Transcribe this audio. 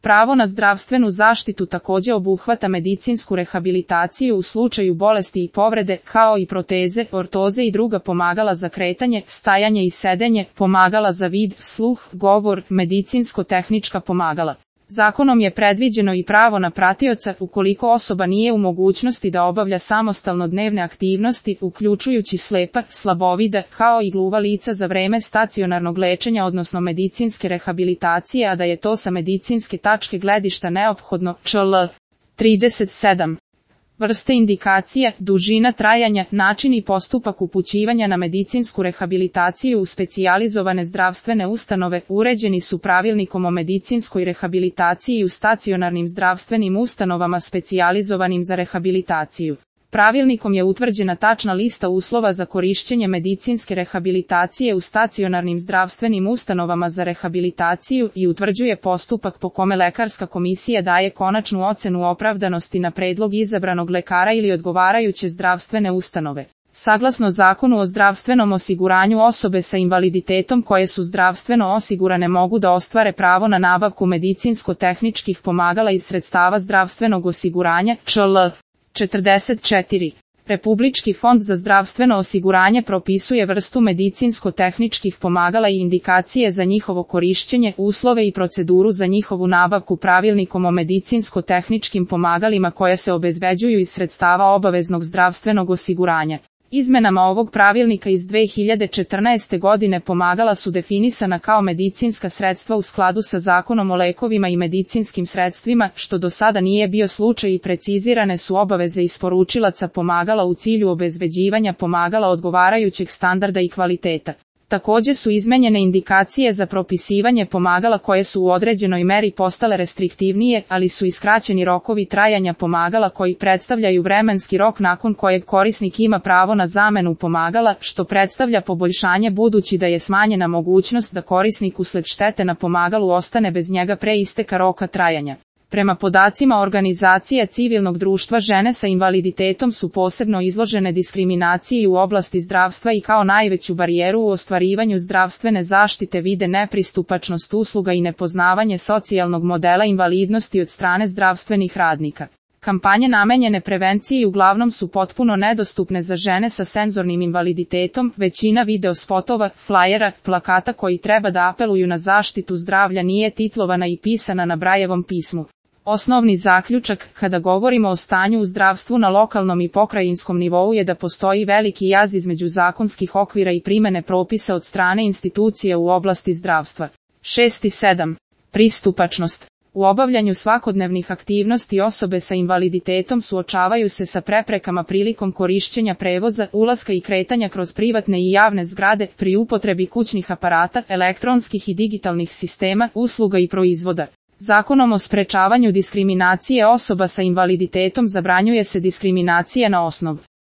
Pravo na zdravstvenu zaštitu takođe obuhvata medicinsku rehabilitaciju u slučaju bolesti i povrede, kao i proteze, ortoze i druga pomagala za kretanje, stajanje i sedenje, pomagala za vid, sluh, govor, medicinsko-tehnička pomagala. Zakonom je predviđeno i pravo na pratioca ukoliko osoba nije u mogućnosti da obavlja samostalno dnevne aktivnosti, uključujući slepa, slabovida, kao i gluva lica za vreme stacionarnog lečenja odnosno medicinske rehabilitacije, a da je to sa medicinske tačke gledišta neophodno. čl. 37. Vrste indikacija, dužina trajanja, način i postupak upućivanja na medicinsku rehabilitaciju u specijalizovane zdravstvene ustanove uređeni su pravilnikom o medicinskoj rehabilitaciji u stacionarnim zdravstvenim ustanovama specijalizovanim za rehabilitaciju. Pravilnikom je utvrđena tačna lista uslova za korišćenje medicinske rehabilitacije u stacionarnim zdravstvenim ustanovama za rehabilitaciju i utvrđuje postupak po kome lekarska komisija daje konačnu ocenu opravdanosti na predlog izabranog lekara ili odgovarajuće zdravstvene ustanove. Saglasno Zakonu o zdravstvenom osiguranju, osobe sa invaliditetom koje su zdravstveno osigurane mogu da ostvare pravo na nabavku medicinsko-tehničkih pomagala iz sredstava zdravstvenog osiguranja. čl. 44. Republički fond za zdravstveno osiguranje propisuje vrstu medicinsko-tehničkih pomagala i indikacije za njihovo korišćenje, uslove i proceduru za njihovu nabavku pravilnikom o medicinsko-tehničkim pomagalima koja se obezbeđuju iz sredstava obaveznog zdravstvenog osiguranja. Izmenama ovog pravilnika iz 2014. godine pomagala su definisana kao medicinska sredstva u skladu sa Zakonom o lekovima i medicinskim sredstvima, što do sada nije bio slučaj, i precizirane su obaveze isporučilaca pomagala u cilju obezbeđivanja pomagala odgovarajućeg standarda i kvaliteta. Takođe su izmenjene indikacije za propisivanje pomagala koje su u određenoj meri postale restriktivnije, ali su i skraćeni rokovi trajanja pomagala koji predstavljaju vremenski rok nakon kojeg korisnik ima pravo na zamenu pomagala, što predstavlja poboljšanje budući da je smanjena mogućnost da korisnik usled štete na pomagalu ostane bez njega pre isteka roka trajanja. Prema podacima organizacija civilnog društva, žene sa invaliditetom su posebno izložene diskriminaciji u oblasti zdravstva i kao najveću barijeru u ostvarivanju zdravstvene zaštite vide nepristupačnost usluga i nepoznavanje socijalnog modela invalidnosti od strane zdravstvenih radnika. Kampanje namenjene prevenciji uglavnom su potpuno nedostupne za žene sa senzornim invaliditetom, većina video spotova, flajera, plakata koji treba da apeluju na zaštitu zdravlja nije titlovana i pisana na Brajevom pismu. Osnovni zaključak, kada govorimo o stanju u zdravstvu na lokalnom i pokrajinskom nivou, je da postoji veliki jaz između zakonskih okvira i primene propisa od strane institucija u oblasti zdravstva. 6 i 7. Pristupačnost. U obavljanju svakodnevnih aktivnosti osobe sa invaliditetom suočavaju se sa preprekama prilikom korišćenja prevoza, ulaska i kretanja kroz privatne i javne zgrade, pri upotrebi kućnih aparata, elektronskih i digitalnih sistema, usluga i proizvoda. Zakonom o sprečavanju diskriminacije osoba sa invaliditetom zabranjuje se diskriminacija na osnovu